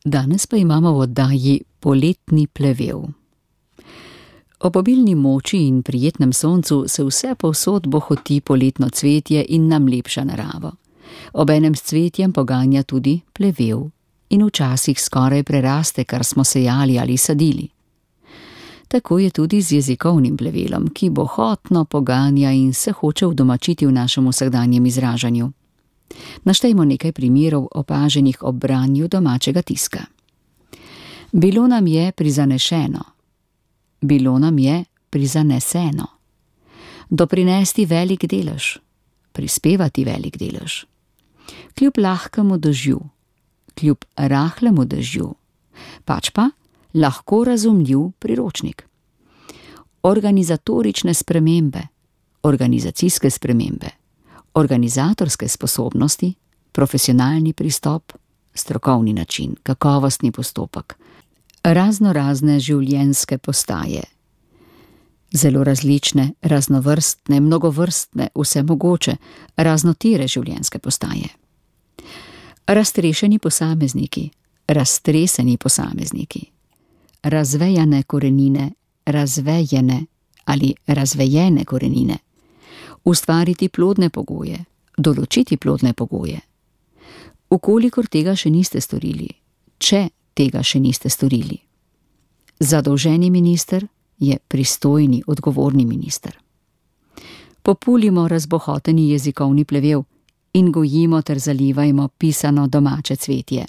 Danes pa imamo v oddaji Poletni plevel. Ob obilni moči in prijetnem soncu se vse povsod bohoti poletno cvetje in nam lepša naravo. Obenem s cvetjem poganja tudi plevel in včasih skoraj preraste, kar smo sejali ali sadili. Tako je tudi z jezikovnim plevelom, ki bohotno poganja in se hoče udomačiti v našem vsakdanjem izražanju. Naštejmo nekaj primerov opaženih ob branju domačega tiska. Bilo nam je prizanešeno. Bilo nam je prizaneseno. Doprinesti velik delež. Prispevati velik delež. Kljub lahkemu dežju. Kljub rahlemu dežju. Pač pa lahko razumljiv priročnik. Organizatorične spremembe. Organizacijske spremembe. Organizatorske sposobnosti, profesionalni pristop, strokovni način, kakovostni postopek, raznorazne življenjske postaje. Zelo različne, raznovrstne, mnogovrstne, vsemogoče, raznotere življenjske postaje. Raztrešeni posamezniki, raztreseni posamezniki, razvejane korenine, razvejene ali razvejene korenine. Ustvariti plodne pogoje, določiti plodne pogoje. Ukolikor tega še niste storili, če tega še niste storili. Zadolženi minister je pristojni, odgovorni minister. Populimo razbohoteni jezikovni plevel in gojimo ter zalivajmo pisano domače cvetje.